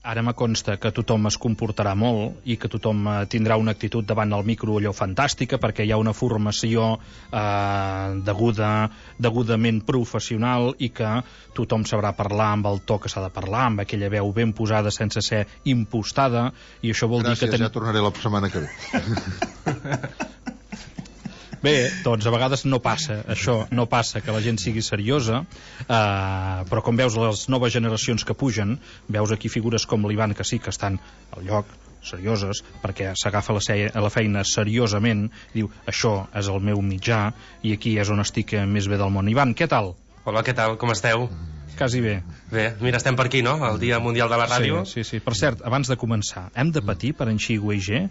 Ara me consta que tothom es comportarà molt i que tothom tindrà una actitud davant el micro allò fantàstica, perquè hi ha una formació degudament professional i que tothom sabrà parlar amb el to que s'ha de parlar, amb aquella veu ben posada sense ser impostada, i això vol dir que... Gràcies, ja tornaré la setmana que ve. Bé, doncs a vegades no passa això, no passa que la gent sigui seriosa, però com veus les noves generacions que pugen, veus aquí figures com l'Ivan que sí que estan al lloc, serioses, perquè s'agafa la feina seriosament, diu, això és el meu mitjà i aquí és on estic més bé del món. Ivan, què tal? Hola, què tal? Com esteu? Quasi bé. Bé, mira, estem per aquí, no? El Dia Mundial de la Ràdio. Sí. Per cert, abans de començar, hem de patir per en Xi Weige?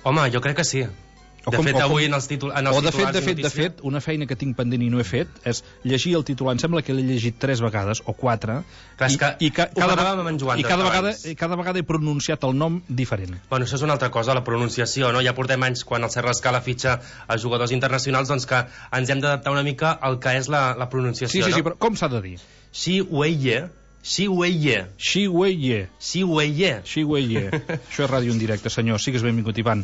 Home, jo crec que sí. De fet, avui en els titulars... De fet, una feina que tinc pendent i no he fet és llegir el titular. Em sembla que l'he llegit 3 vegades o 4 i cada vegada he pronunciat el nom diferent. Bueno, això és una altra cosa, la pronunciació, no? Ja portem anys quan el Serra Escala fitxa a jugadors internacionals, doncs que ens hem d'adaptar una mica al que és la pronunciació, no? Sí, però com s'ha de dir? Xi Weige. Això és ràdio en directe, senyor. Sigues benvingut, Ivan.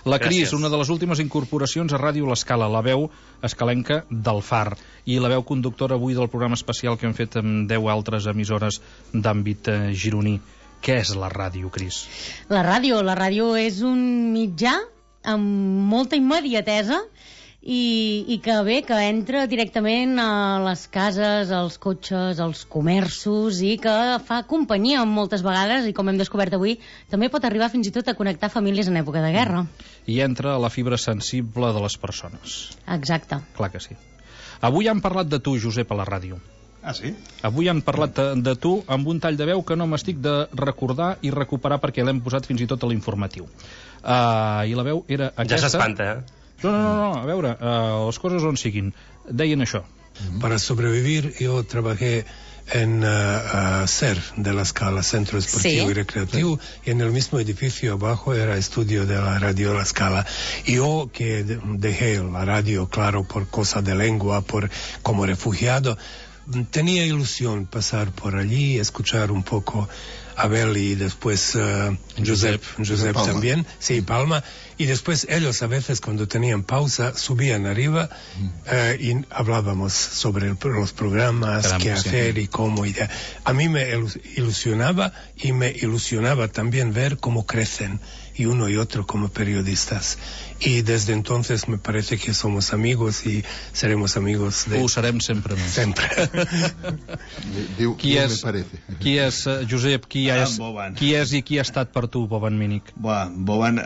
La Cris, una de les últimes incorporacions a Ràdio L'Escala, la veu escalenca del Far, i la veu conductora avui del programa especial que hem fet amb 10 altres emissores d'àmbit gironí. Què és la ràdio, Cris? La ràdio és un mitjà amb molta immediatesa i que bé, que entra directament a les cases, als cotxes, als comerços, i que fa companyia moltes vegades, i com hem descobert avui, també pot arribar fins i tot a connectar famílies en època de guerra. I entra a la fibra sensible de les persones. Exacte. Clar que sí. Avui han parlat de tu, Josep, a la ràdio. Ah, sí? Avui han parlat de tu amb un tall de veu que no m'estic de recordar i recuperar perquè l'hem posat fins i tot a l'informatiu. I la veu era aquesta... Ja s'espanta, No, a veure, les coses on siguin. Deien això. Para sobrevivir yo trabajé en CER de la Scala, Centro Esportivo y Recreativo, y en el mismo edificio abajo era estudio de la Radio La Scala. Y yo que dejé la radio, claro, por cosa de lengua, como refugiado, tenía ilusión pasar por allí, escuchar un poco Abel y después Josep también, sí, Palma, y después ellos a veces cuando tenían pausa subían arriba y hablábamos sobre los programas, qué hacer y cómo. A mí me ilusionaba y me ilusionaba también ver cómo crecen y uno y otro como periodistas. Y desde entonces me parece que somos amigos y seremos amigos de... Ho serem sempre més. Sempre. Qui és, Josep, qui és i qui ha estat per tu, Boban Mínic? Boban,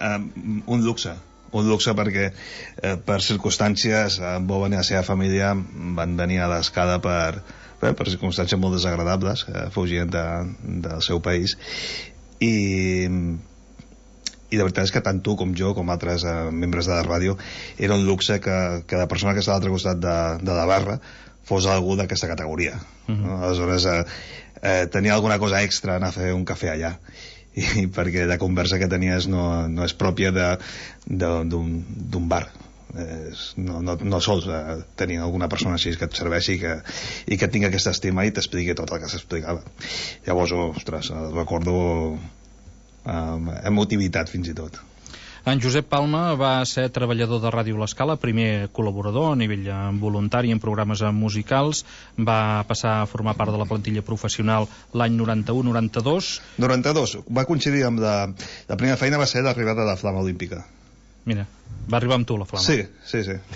un luxe perquè per circumstàncies Boban i la seva família van venir a l'Escala per circumstàncies molt desagradables, fugint del seu país, i de veritat és que tant tu com jo, com altres membres de la ràdio, era un luxe que la persona que està a l'altre costat de la barra fos algú d'aquesta categoria. Aleshores tenia alguna cosa extra anar a fer un cafè allà, i perquè la conversa que tenies no és pròpia d'un bar. No sols tenir alguna persona així que et serveixi i que tingui aquesta estima i t'expliqui tot el que s'explicava. Llavors, ostres, recordo emotivitat fins i tot. En Josep Palma va ser treballador de Ràdio L'Escala, primer col·laborador a nivell voluntari en programes musicals, va passar a formar part de la plantilla professional l'any 91-92. 92, va coincidir amb la primera feina, va ser l'arribada de la Flama Olímpica. Mira, va arribar amb tu la Flama. Sí.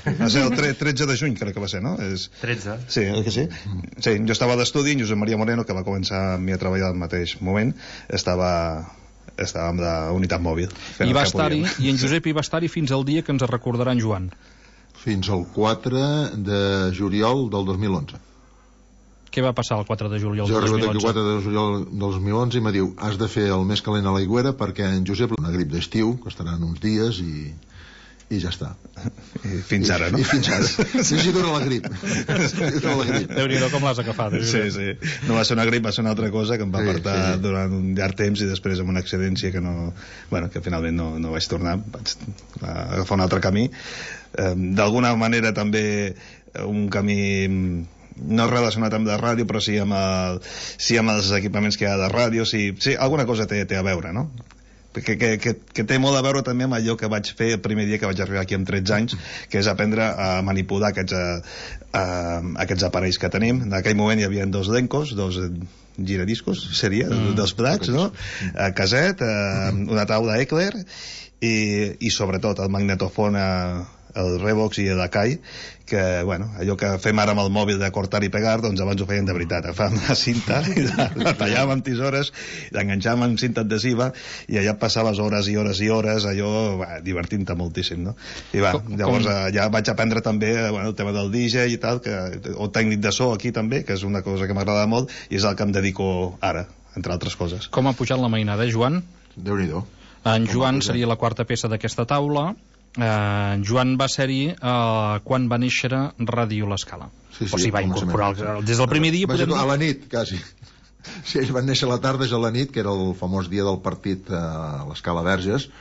Va ser el 13 de juny, crec que va ser, no? 13. Sí, oi que sí? Sí, jo estava a l'estudi, en Josep Maria Moreno, que va començar amb mi a treballar al mateix moment, estava amb la unitat mòbil. I en Josep hi va estar-hi fins al dia que ens recordarà en Joan. Fins al 4 de juliol del 2011. Què va passar el 4 de juliol del 2011? Jo he arribat aquí el 4 de juliol del 2011 i m'ha diu, has de fer el més calent a l'aigüera perquè en Josep una grip d'estiu, que estaran uns dies i ja està. I fins ara, no? I fins ara. Sí, dura la grip. Déu-n'hi-do com l'has agafat. Sí. No va ser una grip, va ser una altra cosa que em va apartar durant un llarg temps i després amb una excedència que finalment no vaig tornar, vaig agafar un altre camí. D'alguna manera també un camí no relacionat amb la ràdio, però sí amb els equipaments que hi ha de ràdio, sí, alguna cosa té a veure, no? Que té molt a veure també amb allò que vaig fer el primer dia que vaig arribar aquí amb 13 anys, que és aprendre a manipular aquests aparells que tenim. En aquell moment hi havia 2 Lencos, 2 giradiscos, seria, 2 plats, no? Caset, una taula Eclair i sobretot el magnetofon el Revox i l'Akai, que, bueno, allò que fem ara amb el mòbil de cortar i pegar, doncs abans ho feien de veritat. Agafàvem la cinta, la tallàvem amb tisores, l'enganxàvem amb cinta adhesiva, i allà passaves hores i hores i hores, allò, divertint-te moltíssim, no? I llavors ja vaig aprendre també, el tema del DJ i tal, o tècnic de so aquí també, que és una cosa que m'agrada molt, i és el que em dedico ara, entre altres coses. Com ha pujat la mainada, Joan? Déu-n'hi-do. En Joan seria la quarta peça d'aquesta taula. Joan va ser-hi quan va néixer Ràdio L'Escala. Sí, o sigui, va incorporar des del primer dia. A la nit, quasi. Sí, ells van néixer a la tarda, és a la nit, que era el famós dia del partit a l'Escala Verges.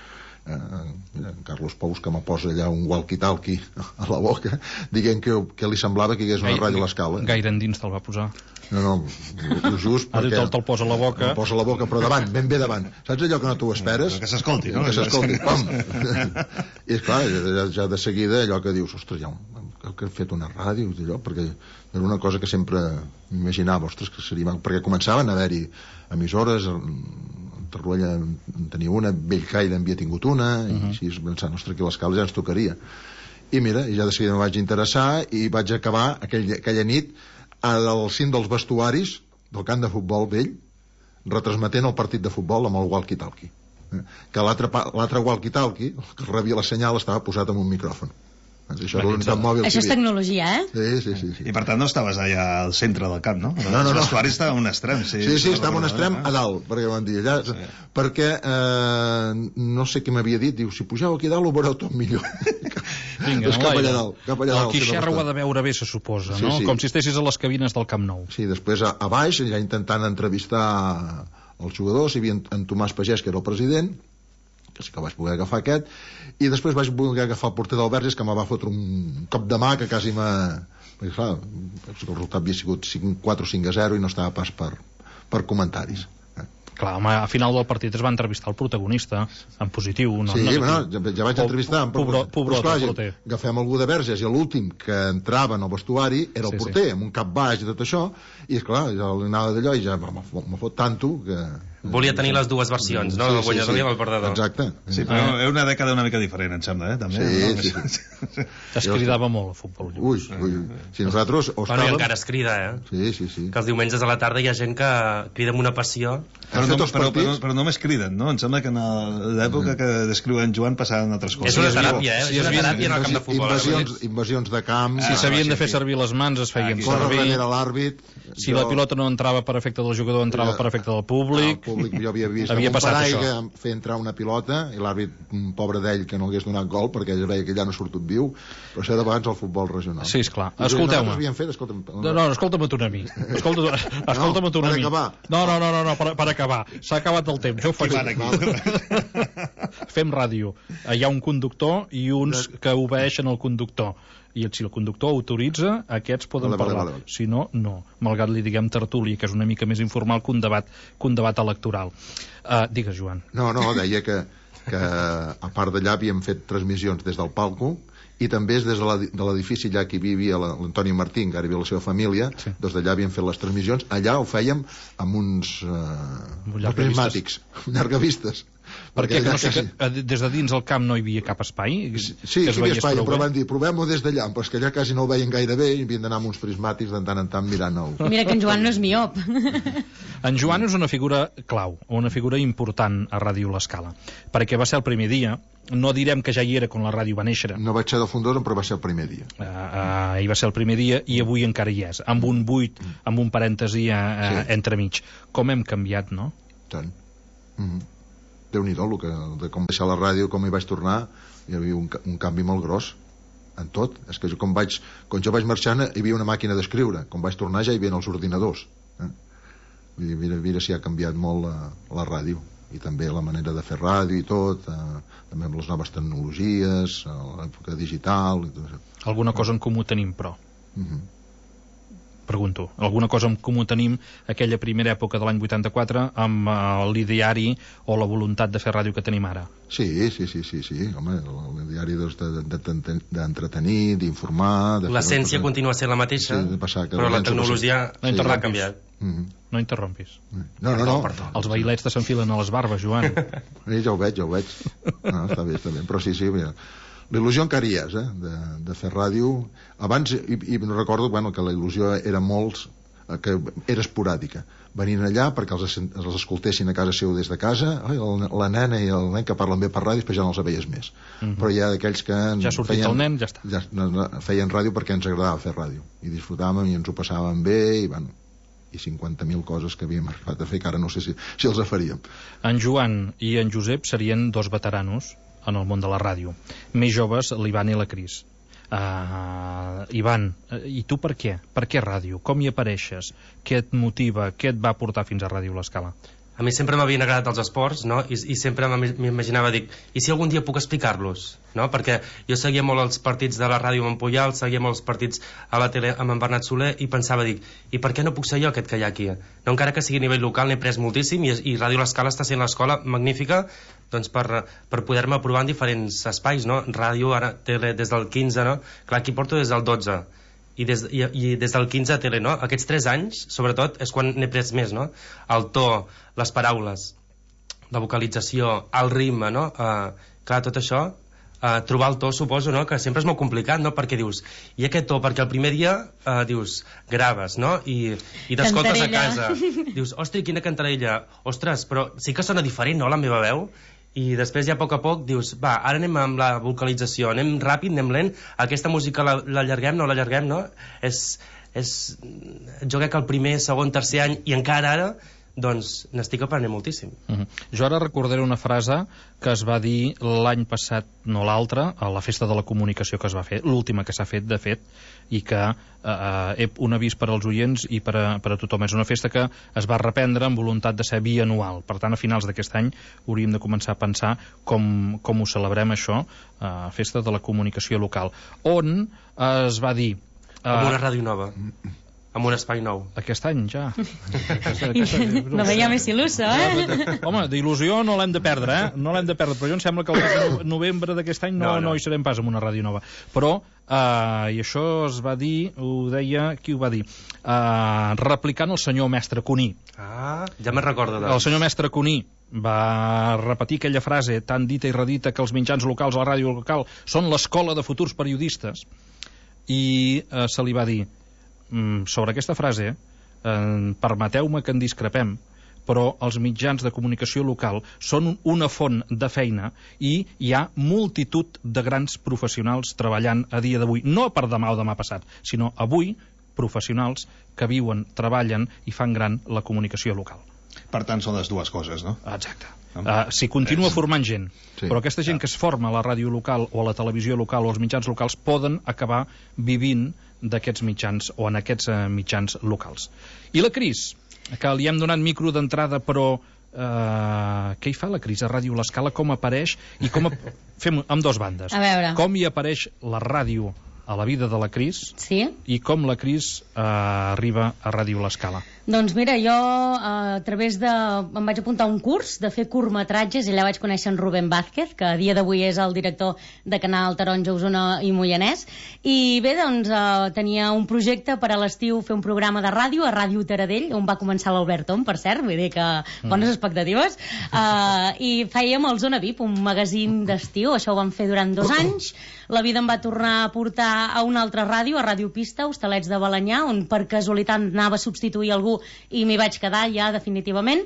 Carlos Pous, que me posa allà un walkie-talkie a la boca, dient que li semblava que hi hagués una ràdio a l'Escala. Gaire endins te'l va posar. No, just perquè... Te'l posa a la boca. Te'l posa a la boca, però davant, ben bé davant. Saps allò que no t'ho esperes? Que s'escolti, no? Que s'escolti, pam! I esclar, ja de seguida allò que dius, ostres, ja que he fet una ràdio, allò, perquè era una cosa que sempre m'imaginava, ostres, que seria... Perquè començaven a haver-hi emissores, Torroella en tenia una, Bellcaire havia tingut una, i així pensant, ostres, que l'Escala ja ens tocaria. I mira, ja de seguida em vaig interessar i vaig acabar aquella nit al cim dels vestuaris del camp de futbol vell, retransmetent el partit de futbol amb el walkie-talkie. Que l'altre walkie-talkie, que rebia la senyal, estava posat amb un micròfon. Això és tecnologia, Sí. I per tant no estaves allà al centre del camp, no? No. El vestuari estava a un extrem. Sí, estava a un extrem a dalt, perquè van dir allà, perquè no sé què m'havia dit, diu, si pugeu aquí dalt ho veureu tot millor. Vinga, doncs cap allà dalt. El Quixerra ho ha de veure bé, se suposa, no? Com si estessis a les cabines del Camp Nou. Sí, després a baix, ja intentant entrevistar els jugadors, hi havia en Tomàs Pagès, que era el president, que sí que vaig poder agafar aquest, i després vaig poder agafar el porter del Verges, que me va fotre un cop de mà que quasi perquè clar, el resultat havia sigut 4 o 5-0 i no estava pas per comentaris. Clar, home, a final del partit es va entrevistar el protagonista en positiu, no? Sí, ja vaig entrevistar pobre porter. Agafem algú de Verges i l'últim que entrava en el vestuari era el porter, amb un cap baix i tot això, i esclar, ja l'anava d'allò i ja me fot tanto que... Volia tenir les dues versions, no? El guanyador i el perdedor. Exacte. Sí, però és una dècada una mica diferent, em sembla, també. Sí. Es cridava molt el futbol. Ui. Si nosaltres... Bueno, i encara es crida, Sí. Que els diumenges a la tarda hi ha gent que crida amb una passió. Però només criden, no? Em sembla que en l'època que descriu en Joan passaven altres coses. És una teràpia, És una teràpia en el camp de futbol. Invasions de camp... Si s'havien de fer servir les mans, es feien córrer servir. Darrere l'àrbit... Si la pilota no entrava per efecte del jugador, entrava per efecte del públic. Jo havia vist un paraigua fer entrar una pilota i l'àrbit, pobre d'ell, que no hagués donat gol perquè ell veia que ja no ha sortit viu, però això era abans el futbol regional. Sí, esclar. Escolteu-me. No, escolta'm tu a mi. Escolta'm tu a mi. No, per acabar. S'ha acabat el temps, jo ho faig. Fem ràdio. Hi ha un conductor i uns que obeeixen el conductor. I si el conductor autoritza, aquests poden parlar. Si no, no. Malgrat li diguem tertúlia, que és una mica més informal que un debat electoral. Digues, Joan. No, deia que a part d'allà havíem fet transmissions des del palco i també des de l'edifici allà que hi vivia l'Antoni Martín, que ara hi havia la seva família, doncs d'allà havíem fet les transmissions. Allà ho fèiem amb uns prismàtics, llargavistes. Perquè des de dins el camp no hi havia cap espai? Sí, hi havia espai, però van dir, provem-ho des d'allà, però és que allà quasi no ho veien gaire bé i havien d'anar amb uns prismàtics de tant en tant mirant el... Mira que en Joan no és miop. En Joan és una figura clau, una figura important a Ràdio L'Escala, perquè va ser el primer dia, no direm que ja hi era quan la ràdio va néixer. No vaig ser del fundador, però va ser el primer dia. Hi va ser el primer dia i avui encara hi és, amb un buit, amb un parèntesi entremig. Com hem canviat, no? Tant. Déu-n'hi-do, de com deixar la ràdio, com hi vaig tornar, hi havia un canvi molt gros en tot. És que quan jo vaig marxar hi havia una màquina d'escriure, quan vaig tornar ja hi havia els ordinadors. Mira si ha canviat molt la ràdio, i també la manera de fer ràdio i tot, també amb les noves tecnologies, l'època digital i tot això. Alguna cosa en comú tenim, però. Pregunto. Alguna cosa en comú tenim aquella primera època de l'any 84 amb l'ideari o la voluntat de fer ràdio que tenim ara? Sí. Home, l'ideari d'entretenir, d'informar... L'essència continua sent la mateixa, però la tecnologia ha canviat. No interrompis. No. Els bailets te s'enfilen a les barbes, Joan. Ja ho veig. No, està bé. Però sí, mira... La il·lusió encara hi és, de fer ràdio. Abans, i no recordo que la il·lusió era que era esporàdica. Venint allà perquè els escoltessin a casa seu des de casa, la nena i el nen que parlen bé per ràdio, després ja no els veies més. Però hi ha d'aquells que... Ja ha sortit el nen, ja està. Feien ràdio perquè ens agradava fer ràdio. I disfrutàvem i ens ho passàvem bé, i 50.000 coses que havíem arribat a fer, que ara no sé si els faríem. En Joan i en Josep serien dos veteranos en el món de la ràdio. Més joves, l'Ivan i la Cris. Ivan, i tu per què? Per què ràdio? Com hi apareixes? Què et motiva? Què et va portar fins a Ràdio L'Escala? A mi sempre m'havien agradat els esports, no? I sempre m'imaginava, dic, i si algun dia puc explicar-los? No? Perquè jo seguia molt els partits de la ràdio amb en Puyal, seguia molt els partits a la tele amb en Bernat Soler, i pensava, dic, i per què no puc ser jo aquest que hi ha aquí? No, encara que sigui a nivell local, n'he pres moltíssim, i Ràdio L'Escala està sent l'escola magnífica doncs per poder-me provar en diferents espais, no? Ràdio, ara tele des del 15, no? Clar, aquí porto des del 12, i des del 15 a tele, no? Aquests 3 anys, sobretot, és quan n'he pres més, no? El to, les paraules, la vocalització, el ritme, no? Clar, tot això, trobar el to, suposo, no? Que sempre és molt complicat, no? Perquè dius, i aquest to, perquè el primer dia dius, graves, no? I t'escoltes a casa, dius, ostres, quina cantarella, ostres, però sí que sona diferent, no?, la meva veu. I després ja a poc dius, va, ara anem amb la vocalització, anem ràpid, anem lent, aquesta música l'allarguem, no l'allarguem, no? Jo crec que el primer, segon, tercer any, i encara ara, doncs n'estic aprenent moltíssim. Jo ara recordaré una frase que es va dir l'any passat, no l'altre, a la Festa de la Comunicació que es va fer, l'última que s'ha fet, de fet, i que un avís per als oients i per a tothom. És una festa que es va reprendre amb voluntat de ser bianual. Per tant, a finals d'aquest any hauríem de començar a pensar com ho celebrem, això, Festa de la Comunicació Local, on es va dir... Amb una ràdio nova, amb un espai nou. Aquest any, ja. No veia més il·lusa, Home, d'il·lusió no l'hem de perdre, No l'hem de perdre, però jo em sembla que el mes de novembre d'aquest any no hi serem pas amb una ràdio nova. Però, i això es va dir, ho deia, qui ho va dir? Replicant el senyor mestre Cuní. Ja me'n recordo. El senyor mestre Cuní va repetir aquella frase tan dita i redita que els mitjans locals, la ràdio local, són l'escola de futurs periodistes, i se li va dir, sobre aquesta frase, permeteu-me que en discrepem, però els mitjans de comunicació local són una font de feina i hi ha multitud de grans professionals treballant a dia d'avui, no per demà o demà passat, sinó avui professionals que viuen, treballen i fan gran la comunicació local. Per tant, són les dues coses, no? Exacte. Si continua formant gent, però aquesta gent que es forma a la ràdio local o a la televisió local o als mitjans locals poden acabar vivint d'aquests mitjans o en aquests mitjans locals. I la Cris, que li hem donat micro d'entrada, però què hi fa la Cris a Ràdio L'Escala? Com apareix? I com fem amb dos bandes. A veure. Com hi apareix la ràdio a la vida de la Cris, i com la Cris arriba a Ràdio L'Escala. Doncs mira, jo a través de... em vaig apuntar a un curs de fer curtmetratges i allà vaig conèixer en Rubén Vázquez, que a dia d'avui és el director de Canal Taronja, Osona i Moianès, i bé, doncs tenia un projecte per a l'estiu fer un programa de ràdio a Ràdio Taradell, on va començar l'Albert Tom, per cert, vull dir que bones expectatives, i fèiem el Zona VIP, un magazín d'estiu, això ho vam fer durant 2 anys, la vida em va tornar a portar a una altra ràdio, a Ràdio Pista, Hostalets de Balenyà, on per casualitat anava a substituir algú i m'hi vaig quedar ja definitivament.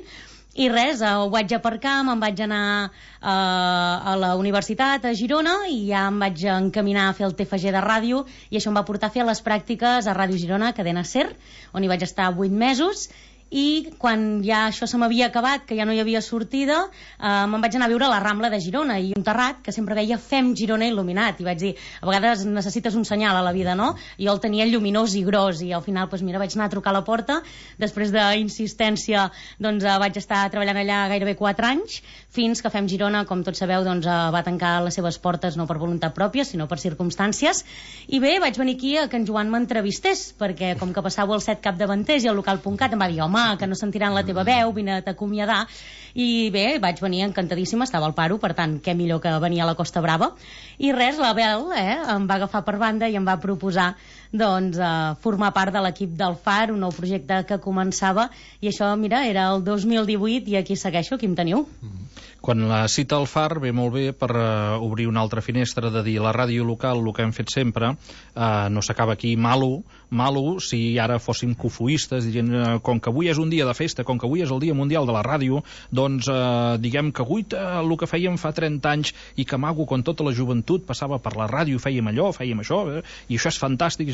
I res, ho vaig aparcar, me'n vaig anar a la universitat a Girona i ja em vaig encaminar a fer el TFG de ràdio i això em va portar a fer les pràctiques a Ràdio Girona, Cadena SER, on hi vaig estar 8 mesos i quan ja això se m'havia acabat, que ja no hi havia sortida, me'n vaig anar a viure a la Rambla de Girona i un terrat que sempre veia Fem Girona il·luminat, i vaig dir, a vegades necessites un senyal a la vida, no? I jo el tenia lluminós i gros, i al final, doncs mira, vaig anar a trucar a la porta, després d'insistència doncs vaig estar treballant allà gairebé 4 anys, fins que Fem Girona, com tots sabeu, doncs va tancar les seves portes no per voluntat pròpia, sinó per circumstàncies, i bé, vaig venir aquí a que en Joan m'entrevistés, perquè com que passava el 7 capdavanters i el local.cat em va dir, home, que no sentiran la teva veu, vine a t'acomiadar, i bé, vaig venir encantadíssima, estava al paro, per tant, què millor que venir a la Costa Brava, i res, la Bel em va agafar per banda i em va proposar doncs formar part de l'equip del FAR, un nou projecte que començava, i això, mira, era el 2018 i aquí segueixo, aquí em teniu. Quan la cita al FAR ve molt bé per obrir una altra finestra de dir la ràdio local, el que hem fet sempre, no s'acaba aquí malo si ara fóssim cofoistes, dient, com que avui és un dia de festa, com que avui és el Dia Mundial de la Ràdio, doncs diguem que avui el que fèiem fa 30 anys i que maco, quan tota la joventut passava per la ràdio, fèiem allò, fèiem això, i això és fantàstic.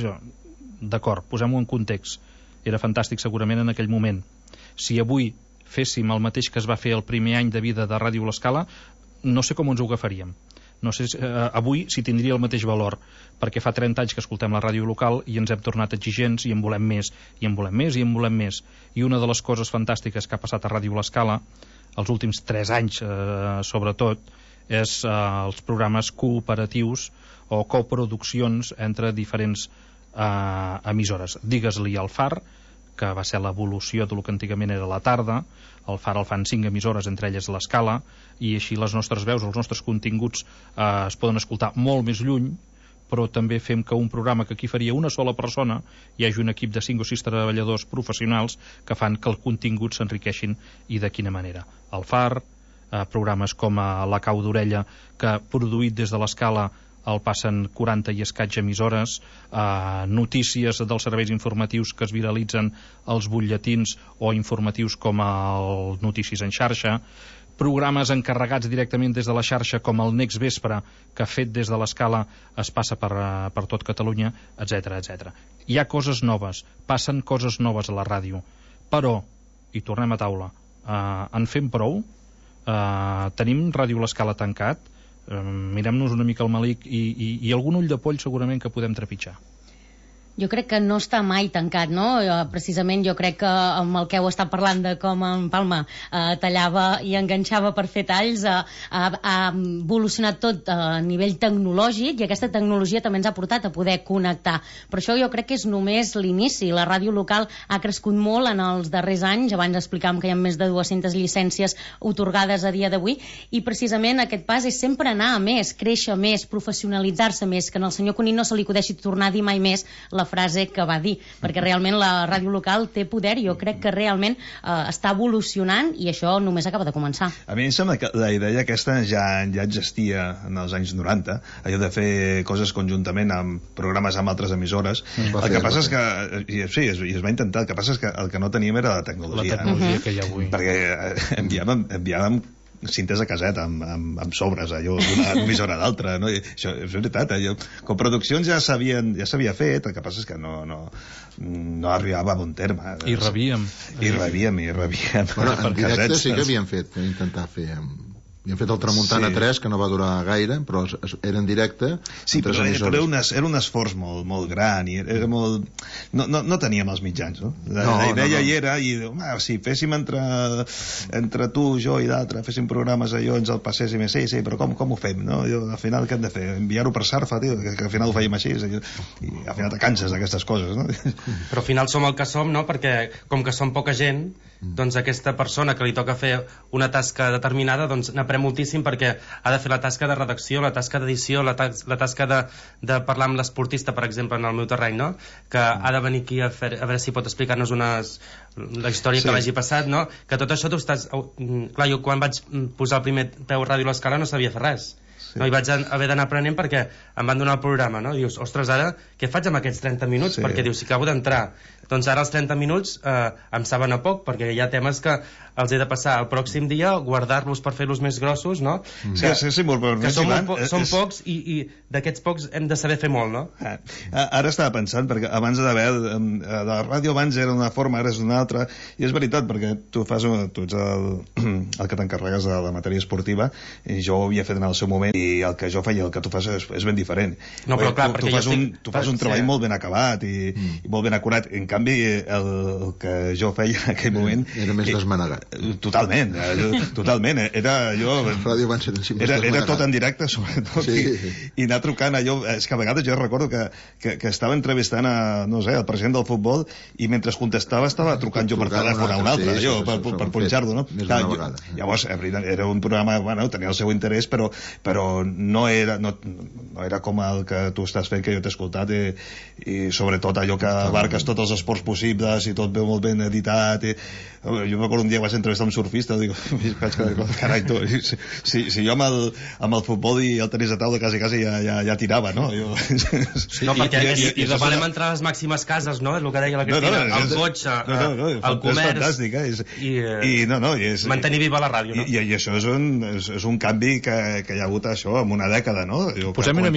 D'acord, posem-ho en context. Era fantàstic segurament en aquell moment. Si avui féssim el mateix que es va fer el primer any de vida de Ràdio L'Escala, no sé com ens ho agafaríem. No sé avui si tindria el mateix valor, perquè fa 30 anys que escoltem la ràdio local i ens hem tornat exigents i en volem més, i en volem més, i en volem més. I una de les coses fantàstiques que ha passat a Ràdio L'Escala, els últims 3 anys sobretot, és els programes cooperatius o coproduccions entre diferents emissores. Digues-li al FAR, que va ser l'evolució del que antigament era la tarda, el FAR el fan 5 emissores, entre elles l'Escala, i així les nostres veus, els nostres continguts es poden escoltar molt més lluny, però també fem que un programa que aquí faria una sola persona hi hagi un equip de 5 o 6 treballadors professionals que fan que el contingut s'enriqueixin, i de quina manera. El FAR, programes com La Cau d'Orella, que produït des de l'Escala el passen 40 i escaig emissores, notícies dels serveis informatius que es viralitzen als butlletins o informatius com el Notícies en xarxa, programes encarregats directament des de la xarxa com el Next Vespre, que fet des de l'Escala es passa per tot Catalunya, etc etc. Hi ha coses noves, passen coses noves a la ràdio, però, i tornem a taula, en fem prou? Tenim Ràdio L'Escala tancat? Mirem-nos una mica al malic i algun ull de poll segurament que podem trepitjar. Jo crec que no està mai tancat, no? Precisament jo crec que amb el que heu estat parlant de com en Palma tallava i enganxava per fer talls, ha evolucionat tot a nivell tecnològic, i aquesta tecnologia també ens ha portat a poder connectar. Però això jo crec que és només l'inici. La ràdio local ha crescut molt en els darrers anys. Abans explicàvem que hi ha més de 200 llicències otorgades a dia d'avui, i precisament aquest pas és sempre anar a més, créixer més, professionalitzar-se més, que al senyor Cuní no se li acudeixi tornar a dir mai més la frase que va dir, perquè realment la ràdio local té poder, i jo crec que realment està evolucionant, i això només acaba de començar. A mi em sembla que la idea aquesta ja existia en els anys 90, allò de fer coses conjuntament amb programes amb altres emissores. El que passa és que sí, es va intentar, el que passa és que el que no teníem era la tecnologia. La tecnologia que hi ha avui. Perquè enviàvem cintes a caset amb sobres allò d'una emissora a l'altra, no? I això és veritat, com produccions ja s'havia fet, el que passa és que no arribava a bon terme. I rebíem. Bueno, en directe sí que havíem fet, intentar fer havíem fet el Tramuntana 3, que no va durar gaire, però era en directe. Sí, però era un esforç molt gran, i era molt... No teníem els mitjans, no? La idea hi era, i si féssim entre tu, jo i d'altre, féssim programes allò, ens el passéssim, sí, però com ho fem, no? Al final què hem de fer? Enviar-ho per Sarfa, tio, que al final ho fèiem així, i al final te canses d'aquestes coses, no? Però al final som el que som, no? Perquè com que som poca gent, doncs aquesta persona que li toca fer una tasca determinada, doncs n'aprèn moltíssim, perquè ha de fer la tasca de redacció, la tasca d'edició, la tasca de parlar amb l'esportista, per exemple, en el meu terreny, no? Que ha de venir aquí a veure si pot explicar-nos la història que l'hagi passat, no? Que tot això tu estàs... Clar, jo quan vaig posar el primer peu a Ràdio L'Escala no sabia fer res. No, i vaig haver d'anar aprenent perquè em van donar el programa, no? Dius, ostres, ara què faig amb aquests 30 minuts? Perquè dius, si acabo d'entrar, doncs ara els 30 minuts em saben a poc, perquè hi ha temes que els he de passar el pròxim dia, guardar-los per fer-los més grossos, no? Que són pocs i d'aquests pocs hem de saber fer molt, no? Ara estava pensant, perquè abans la ràdio abans era una forma, ara és una altra, i és veritat, perquè tu ets el que t'encarregues de la matèria esportiva, i jo ho havia fet en el seu moment, i el que jo feia, el que tu fas és ben diferent. No, però clar, tu fas un treball molt ben acabat i molt ben acurat. En canvi, el que jo feia en aquell moment... Era més desmanegat. Totalment. Era tot en directe, sobretot, i anar trucant allò... És que a vegades jo recordo que estava entrevistant el president del futbol, i mentre contestava estava trucant jo per telèfon a un altre, per punxar-lo, no? Llavors, era un programa, bueno, tenia el seu interès, però no era com el que tu estàs fent, que jo t'he escoltat, i sobretot allò que abarques tots els esports possibles i tot veu molt ben editat. Jo m'acordo un dia que vaig entrevistar un surfista, dic, carai, tu, si jo amb el futbol i el tenis de taula quasi ja tirava, no? No, perquè demanem entrar a les màximes cases, no? És el que deia la Cristina, el cotxe, el comerç, i mantenir viva la ràdio, no? I això és un canvi que hi ha hagut això en una dècada, no? Posem una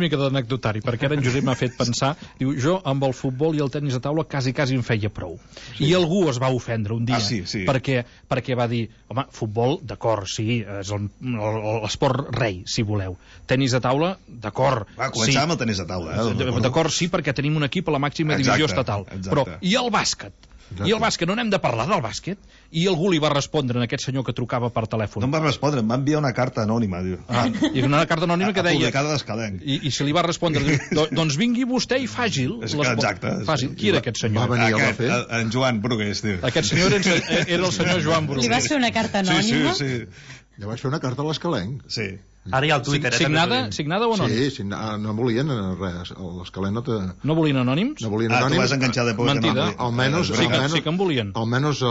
mica d'anecdotari, perquè ara en Josep m'ha fet pensar, diu, jo amb el futbol i el tenis de taula quasi em feia prou. I algú es va ofendre un dia, perquè va dir, home, futbol, d'acord, sí, és l'esport rei, si voleu. Tenis de taula, d'acord. Començar amb el tenis de taula. D'acord, sí, perquè tenim un equip a la màxima divisió estatal. Però, i el bàsquet? I el bàsquet, no n'hem de parlar del bàsquet? I algú li va respondre a aquest senyor que trucava per telèfon. No em va respondre, em va enviar una carta anònima, diu. I una carta anònima que deia... Publicada d'Escalenc. I se li va respondre, doncs vingui vostè i faci'l. Exacte. Qui era aquest senyor? Va venir a fer? En Joan Brugués, diu. Aquest senyor era el senyor Joan Brugués. Li vas fer una carta anònima? Sí. Ja vaig fer una carta a l'Escalenc. Sí. Ara hi ha el Twitter. Signada o anònim? Sí, no volien res. L'Escalenc no te... No volien anònims? No volien anònims. Tu vas enganxar de poc. Mentida. Almenys sí que en volien. Almenys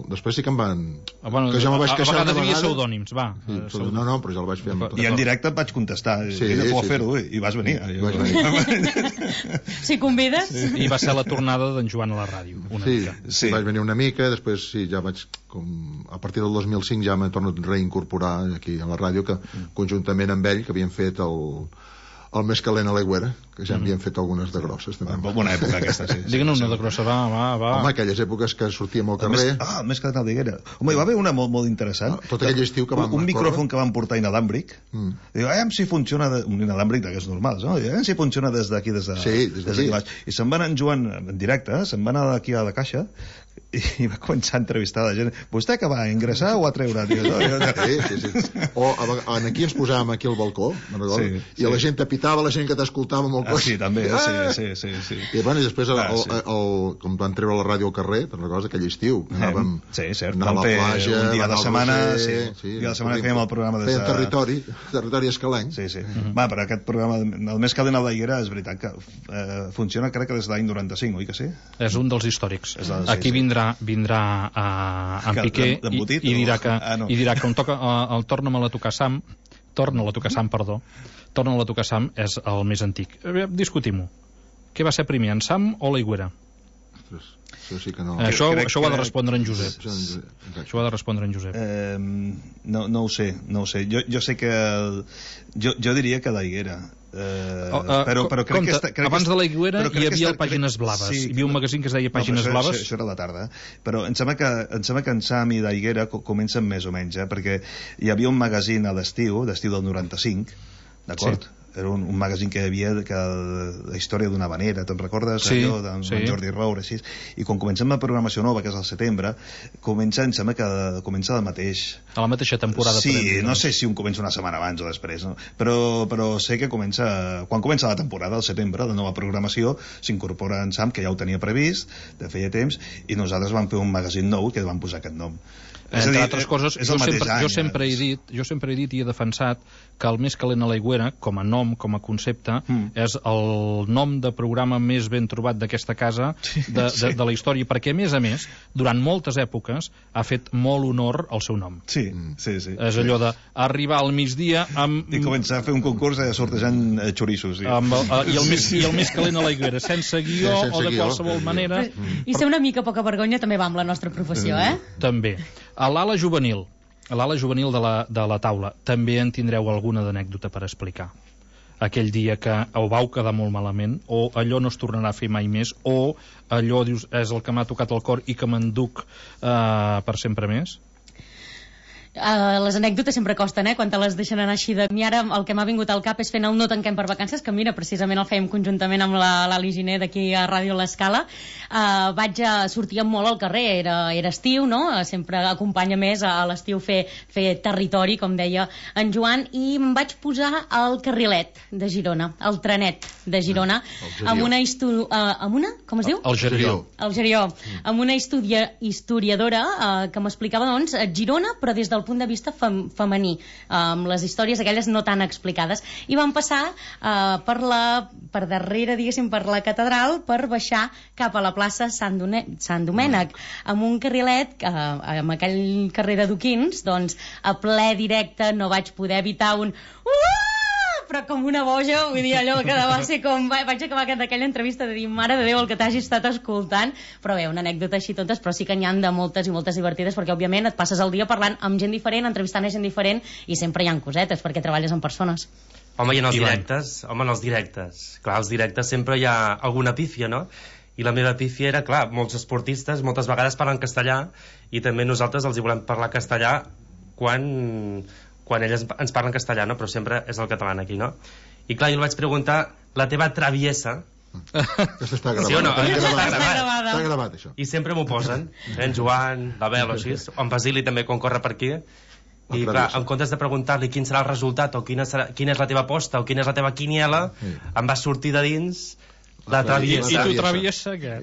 després sí que em van... Que jo me vaig queixar una vegada. A vegades hi havia pseudònims, va. No, però jo el vaig fer amb... I en directe et vaig contestar. Sí, no puc fer-ho, i vas venir. Si convides. I va ser la tornada d'en Joan a la ràdio. Sí, vaig venir una mica, després sí, ja vaig... A partir del 2005 ja m'he tornat a reincorporar aquí a la ràdio, que conjuntament amb ell, que havien fet el més calent a l'Aigüera, que ja havien fet algunes de grosses també. Bona època aquesta, sí. Digue'n una de grossa, va. Home, aquelles èpoques que sortíem al carrer... El més calent a l'Aigüera. Home, hi va haver una molt interessant. Tot aquell estiu que vam... Un micròfon que van portar inalàmbric. Diu, si funciona... Un inalàmbric d'aquests normals, no? Diu, si funciona des d'aquí, des d'aquí baix. I se'n van en Joan en directe, se'n van anar aquí a la caixa, i va començar a entrevistar la gent. Vostè que va ingressar o a treure? Sí. O aquí ens posàvem aquí al balcó, i la gent t'apitava, la gent que t'escoltava amb el cotxe. Sí, també, sí. I després, com van treure la ràdio al carrer, te'n recordes, aquell estiu, anàvem a la platja, un dia de setmana, un dia de setmana fèiem el programa fèiem territori escalenc. Sí. Va, però aquest programa, el més calent a l'Aigüera, és veritat que funciona, crec que des de l'any 95, oi que sí? És un dels històrics. Aquí vindrà en Piqué i dirà que on toca el torna-la a tocar Sam, és el més antic. Discutim-ho. Què va ser primer, en Sam o l'Aigüera? Això sí que no... Això ho ha de respondre en Josep. Això ho ha de respondre en Josep. No ho sé. Jo sé que... Jo diria que l'Aigüera. Però crec que abans de l'Aigüera hi havia Pàgines Blaves. Hi havia un magazín que es deia Pàgines Blaves. Això era a la tarda. Però em sembla que en Sam i l'Aigüera comencen més o menys, perquè hi havia un magazín a l'estiu del 95, d'acord? Era un magazín que hi havia la història d'una vanera, te'n recordes? Allò d'en Jordi Roure, així. I quan comencem la programació nova, que és al setembre, em sembla que comença el mateix. A la mateixa temporada. Sí, no sé si un comença una setmana abans o després, no? Però sé que quan comença la temporada, al setembre, la nova programació, s'incorpora en Sam, que ja ho tenia previst, de feia temps, i nosaltres vam fer un magazín nou que vam posar aquest nom. Entre altres coses, jo sempre he dit i he defensat que el Més calent a l'aigüera, com a nom, com a concepte, és el nom de programa més ben trobat d'aquesta casa de la història, perquè a més, durant moltes èpoques ha fet molt honor al seu nom. Sí. És allò d'arribar al migdia amb... I començar a fer un concurs sortejant xorissos. I el Més calent a l'aigüera, sense guió o de qualsevol manera. I ser una mica poca vergonya també va amb la nostra professió, També. A l'ala juvenil de la taula, també en tindreu alguna d'anècdota per explicar. Aquell dia que ho vau quedar molt malament, o allò no es tornarà a fer mai més, o allò, dius, és el que m'ha tocat el cor i que m'enduc per sempre més? Les anècdotes sempre costen, quan te les deixen anar així de... I ara el que m'ha vingut al cap és fent el No tanquem per vacances, que mira, precisament el fèiem conjuntament amb l'Ali Giner d'aquí a Ràdio L'Escala. Sortíem molt al carrer, era estiu, no? Sempre acompanya més a l'estiu fer territori, com deia en Joan, i em vaig posar al carrilet de Girona, al trenet de Girona, amb una com es diu? El Gerió. El Gerió, amb una historiadora que m'explicava, doncs, Girona, però des del punt de vista femení, amb les històries aquelles no tan explicades, i vam passar per darrere, diguéssim, per la catedral, per baixar cap a la plaça Sant Domènec, amb un carrilet, amb aquell carrer de Duquins, doncs, a ple directe, no vaig poder evitar un... però com una boja, vull dir, allò que va ser com... Vaig acabar d'aquella entrevista de dir, mare de Déu, el que t'hagi estat escoltant, però bé, una anècdota així totes, però sí que n'hi ha de moltes i moltes divertides, perquè òbviament et passes el dia parlant amb gent diferent, entrevistant a gent diferent, i sempre hi ha cosetes, perquè treballes amb persones. Home, i en els directes. Clar, als directes sempre hi ha alguna pífia, no? I la meva pífia era, clar, molts esportistes moltes vegades parlen castellà, i també nosaltres els hi volem parlar castellà quan elles ens parlen castellà, no? Però sempre és el català aquí, no? I clar, jo li vaig preguntar la teva traviesa. Aquesta està gravada. Sí o no? Està gravat, això. I sempre m'ho posen. En Joan, la Bel, o així. O en Basili també, quan corre per aquí. I clar, en comptes de preguntar-li quin serà el resultat, o quina és la teva aposta, o quina és la teva quiniela, em va sortir de dins... La traviesa. I tu traviesa, què?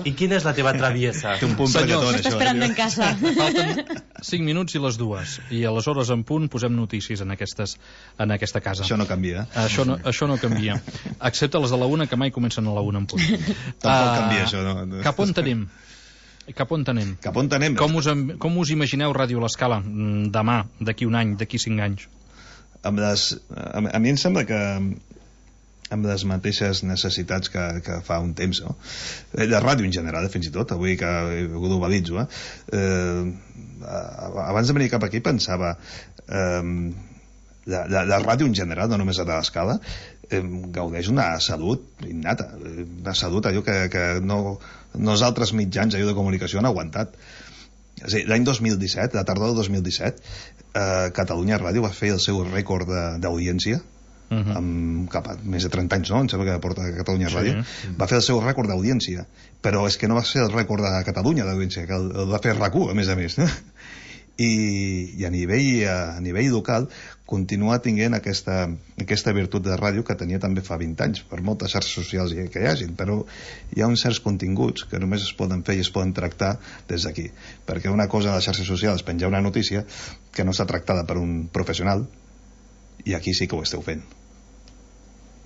I quina és la teva traviesa? Té un punt pregatori, això. M'està esperant en casa. Falten 5 minuts i les 2. I aleshores en punt posem notícies en aquesta casa. Això no canvia. Això no canvia. Excepte les de la 1, que mai comencen a la 1 en punt. Tampoc canvia això, no? Cap on tenim? Cap on tenem? Com us imagineu Ràdio L'Escala demà, d'aquí un any, d'aquí 5 anys? A mi em sembla que amb les mateixes necessitats que fa un temps, no? La ràdio en general, fins i tot, avui que ho globalitzo, abans de venir cap aquí pensava la ràdio en general, no només la de l'Escala, gaudeix una salut innata, una salut allò que no els altres mitjans allò de comunicació han aguantat. És a dir, l'any 2017, la tardor del 2017, Catalunya Ràdio va fer el seu rècord d'audiència, amb cap a més de 30 anys, no? Em sembla que porta Catalunya Ràdio. Va fer el seu rècord d'audiència, però és que no va ser el rècord de Catalunya d'audiència, que el va fer RAC1, a més, no? I a nivell local continua tinguent aquesta virtut de ràdio que tenia també fa 20 anys, per moltes xarxes socials que hi hagin, però hi ha uns certs continguts que només es poden fer i es poden tractar des d'aquí, perquè una cosa de les xarxes socials és penjar una notícia que no està tractada per un professional, i aquí sí que ho esteu fent.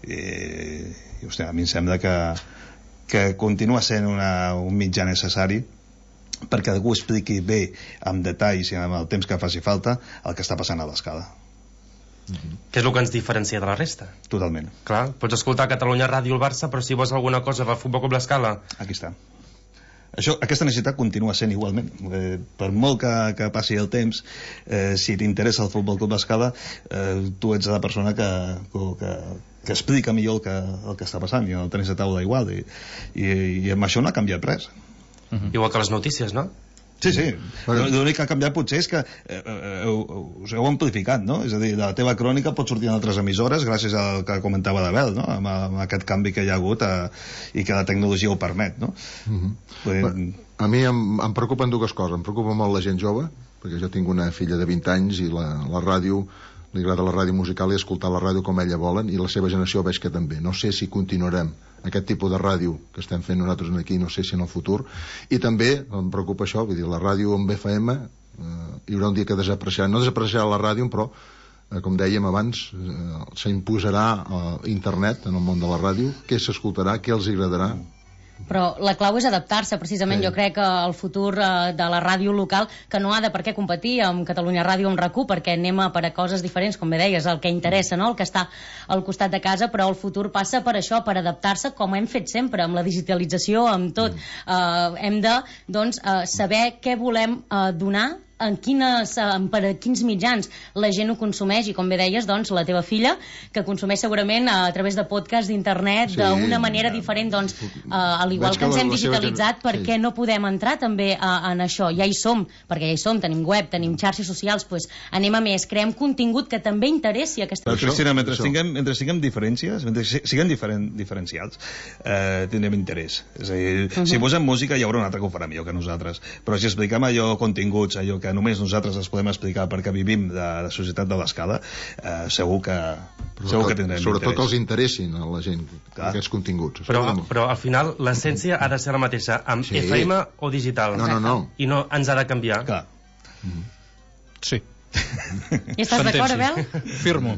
I hòstia, a mi em sembla que continua sent un mitjà necessari perquè algú expliqui bé, amb detalls i amb el temps que faci falta, el que està passant a l'Escala. Que és el que ens diferencia de la resta. Totalment. Clar, pots escoltar Catalunya Ràdio el Barça, però si vols alguna cosa del Futbol Club L'Escala... Aquí està. Aquesta necessitat continua sent igualment, per molt que passi el temps, si t'interessa el Futbol Club L'Escala, tu ets la persona que explica millor el que està passant, i el tenis de taula igual, i amb això no ha canviat res. Igual que les notícies, no? Sí. L'únic que ha canviat potser és que us heu amplificat, no? És a dir, la teva crònica pot sortir en altres emissores gràcies al que comentava l'Abel, no? Amb aquest canvi que hi ha hagut i que la tecnologia ho permet, no? A mi em preocupen dues coses. Em preocupa molt la gent jove, perquè jo tinc una filla de 20 anys i la ràdio, li agrada la ràdio musical i escoltar la ràdio com ella volen, i la seva generació veig que també. No sé si continuarem aquest tipus de ràdio que estem fent nosaltres aquí, no sé si en el futur. I també em preocupa això, vull dir, la ràdio amb FM hi haurà un dia que desapareixerà, no desapareixerà la ràdio, però com dèiem abans, s'imposarà internet en el món de la ràdio, què s'escoltarà, què els agradarà. Però la clau és adaptar-se, precisament. Jo crec que el futur de la ràdio local, que no ha de per què competir amb Catalunya Ràdio o amb RAC1, perquè anem a per a coses diferents, com bé deies, el que interessa, no? El que està al costat de casa, però el futur passa per això, per adaptar-se, com hem fet sempre, amb la digitalització, amb tot. Hem de, doncs, saber què volem donar, per a quins mitjans la gent ho consumeix, i com bé deies, doncs, la teva filla, que consumeix segurament a través de podcast, d'internet, d'una manera diferent, doncs, al igual que ens hem digitalitzat, per què no podem entrar també en això? Ja hi som, perquè ja hi som, tenim web, tenim xarxes socials, doncs anem a més, creem contingut que també interessi aquesta gent. Però, Cristina, mentre siguem diferències, mentre siguem diferencials, tindrem interès. És a dir, si posem música hi haurà un altre que ho farà millor que nosaltres, però si expliquem allò, continguts, allò que només nosaltres els podem explicar perquè vivim de la societat de l'escala, segur que tindrem sobretot interès. Que els interessin a la gent aquests continguts. Però al final l'essència ha de ser la mateixa amb FM o digital. No. I no ens ha de canviar. Clar. Sí. I estàs d'acord, Abel? Firmo.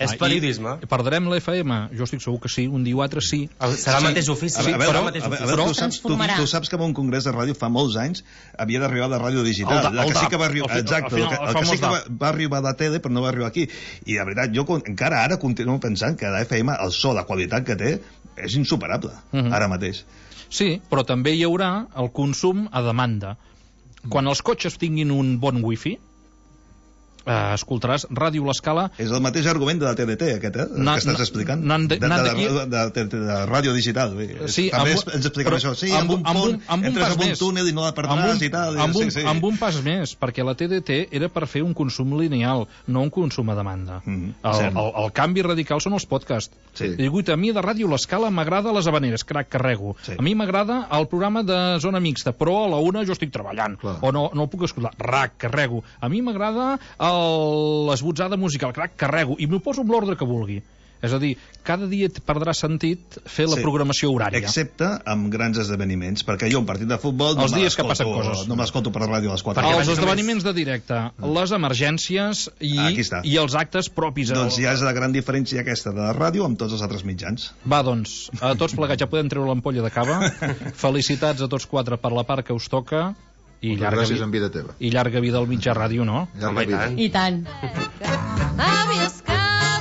És periodisme. Perdrem la FM? Jo estic segur que sí, un dia o altre sí. Serà el mateix ofici. Tu saps que en un congrés de ràdio fa molts anys havia d'arribar de ràdio digital. El que sí que va arribar, exacte, el que sí que va arribar de tele, però no va arribar aquí. I la veritat, jo encara ara continuo pensant que la FM, el so, la qualitat que té, és insuperable, ara mateix. Sí, però també hi haurà el consum a demanda. Quan els cotxes tinguin un bon wifi, escoltaràs Ràdio L'Escala. És el mateix argument de la TDT, aquest, que estàs explicant. De ràdio digital. Sí, també ens expliquem això. Sí, amb un pont, entres en un túnel i no la perdràs i tal. Amb un pas més, perquè la TDT era per fer un consum lineal, no un consum a demanda. El canvi radical són els podcasts. Digut, a mi de Ràdio L'Escala m'agrada les Havaneres, crac, carrego. A mi m'agrada el programa de Zona Mixta, però a la una jo estic treballant, o no el puc escoltar, rac, carrego. A mi m'agrada l'esbotzada musical, crac, carrego, i m'ho poso amb l'ordre que vulgui. És a dir, cada dia et perdrà sentit fer la programació horària. Excepte amb grans esdeveniments, perquè jo un partit de futbol no m'escolto per la ràdio a les 4. Els esdeveniments de directe, les emergències i els actes propis. Doncs ja és la gran diferència aquesta de la ràdio amb tots els altres mitjans. Va, doncs, a tots plegats ja podem treure l'ampolla de cava. Felicitats a tots quatre per la part que us toca. I llarga vida teva. I llarga vida al mitjà ràdio, no? Llarga vida. I tant.